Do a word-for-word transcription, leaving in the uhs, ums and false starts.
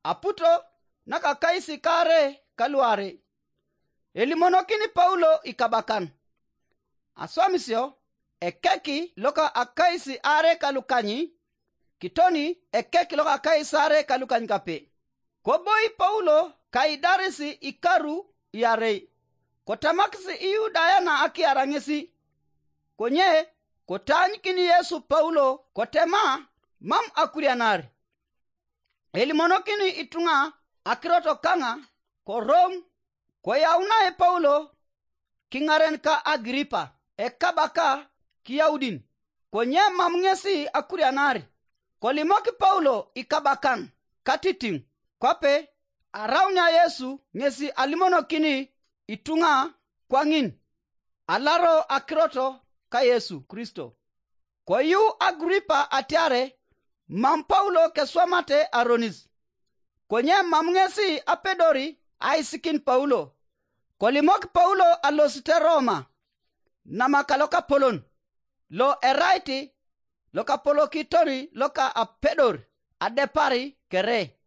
Aputo nakakais kaare ka luarei. Elimonokini Paulo ikabakan. Aswamisio, ekeki loka akais aare ka lukany, kitoni ekeki loka akais aare ka lukany kape. Koboi Paulo kaidaris ikaru iarei, kotamakis Iyudaya na akiara ŋesi. Konye kotaanyikin Yesu Paulo kotema, mam akurianar. Elimonokini ituŋa akirot kaŋa ko Rom. Koyaunae Paulo kiŋaren ka Agiripa ekabaka Kiyaudin, konye mam ŋesi akurianar. Kolimok Paulo ikabakan katitiŋ, kwape araunia Yesu ŋesi alimonokini ituŋa kwaŋin alaro akirot ka Yesu Kristo. Koyu Agripa atiare mam Paulo keswamate aronis, konye mam ŋesi apedori aisikin Paulo. Kolimok Paulo alosite Roma, namaka lokapolon, lo erait lokapolokitor loka apedor adepar kere.